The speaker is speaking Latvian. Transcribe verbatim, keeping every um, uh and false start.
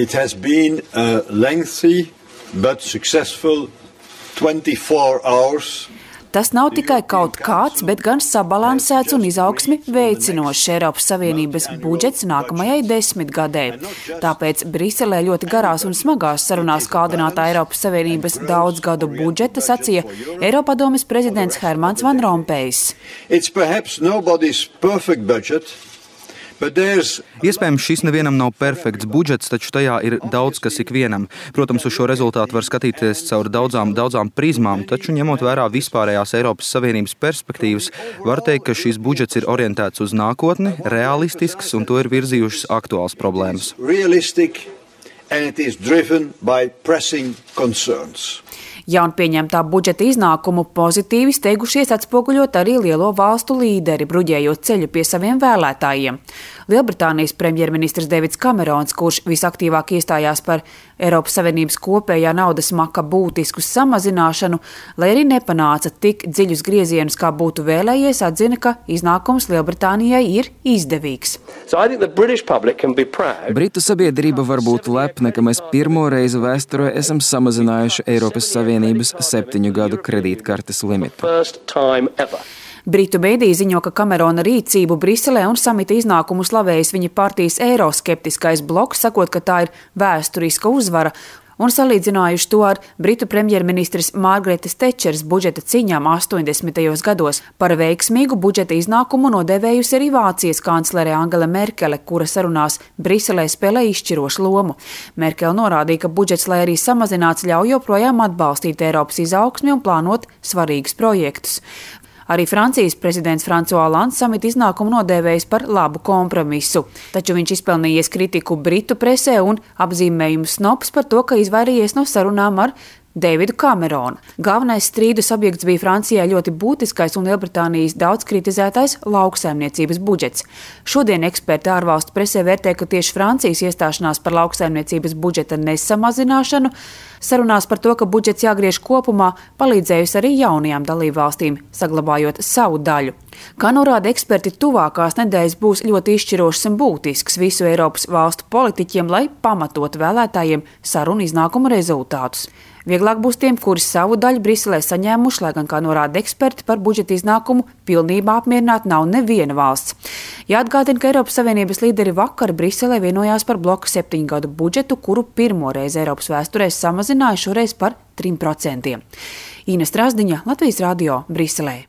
It has been a lengthy but successful twenty-four hours. Tas nav tikai kaut kāds, bet gan sabalansēts un izaugsmi veicinošs Eiropas Savienības budžets nākamajai desmitgadē. Tāpēc Briselē ļoti garās un smagās sarunās kādinātā Eiropas Savienības daudzgadu budžeta sacīja Eiropadomes prezidents Hermans Van Rompējs. It's perhaps nobody's perfect budget. Iespējams, šis nevienam nav perfekts budžets, taču tajā ir daudz, kas ikvienam. Protams, uz šo rezultātu var skatīties caur daudzām, daudzām prizmām, taču ņemot vērā vispārējās Eiropas Savienības perspektīvas, var teikt, ka šis budžets ir orientēts uz nākotni, realistisks un to ir virzījušas aktuāls problēmas. Realistic, and it is driven by pressing concerns. Jaunpieņemtā budžeta iznākumu pozitīvi steigušies atspoguļot arī lielo valstu līderi, bruģējot ceļu pie saviem vēlētājiem. Lielbritānijas premjerministrs Deivids Kamerons, kurš visaktīvāk iestājās par Eiropas Savienības kopējā naudas maka būtisku samazināšanu, lai arī nepanāca tik dziļus griezienus, kā būtu vēlējies, atzina, ka iznākums Lielbritānijai ir izdevīgs. So Britu sabiedrība var būt lepna, ka mēs pirmo reizi vēsturē esam samazinājuši Eiropas Savienības septiņu gadu kredītkartes limitu. Britu mēdī ziņo, ka Kamerona rīcību Briselē un samita iznākumu slavējis viņa partijas eiroskeptiskais bloks, sakot, ka tā ir vēsturiska uzvara, un salīdzinājuši to ar Britu premjerministres Margaretas Tečeras budžeta ciņām astoņdesmitajos gados. Par veiksmīgu budžeta iznākumu nodēvējusi arī Vācijas kanclere Angela Merkele, kura sarunās Briselē spēlē izšķirošu lomu. Merkele norādīja, ka budžets, lai arī samazināts, ļauj joprojām atbalstīt Eiropas izaugsmi un plānot svarīgus projektus. Arī Francijas prezidents François Hollands samita iznākumu nodēvējis par labu kompromisu, taču viņš izpelnījies kritiku Britu presē un apzīmējumu snobs par to, ka izvairījies no sarunām ar Deividu Kameronu. Galvenais strīdus objekts bija Francijai ļoti būtiskais un Lielbritānijas daudz kritizētais lauksaimniecības budžets. Šodien eksperti ārvalstu presē vērtē, ka tieši Francijas iestāšanās par lauksaimniecības budžeta nesamazināšanu sarunās par to, ka budžets jāgriež kopumā, palīdzējusi arī jaunajām dalībvalstīm, saglabājot savu daļu. Kā norāda eksperti, tuvākās nedēļas būs ļoti izšķirošas un būtisks visu Eiropas valstu politiķiem, lai pamatotu vēlētājiem sarunu iznākumu rezultātus. Vieglāk būs tiem, kuri savu daļu Briselē saņēmuši, lai gan, kā norāda eksperti, par budžeta iznākumu pilnībā apmierināta nav neviena valsts. Jāatgādina, ka Eiropas Savienības līderi vakar Briselē vienojās par bloka septiņu gadu budžetu, kuru pirmo reizi Eiropas vēsturē samazināja šoreiz par trim procentiem. Ina Strasdiņa, Latvijas radio, Briselē.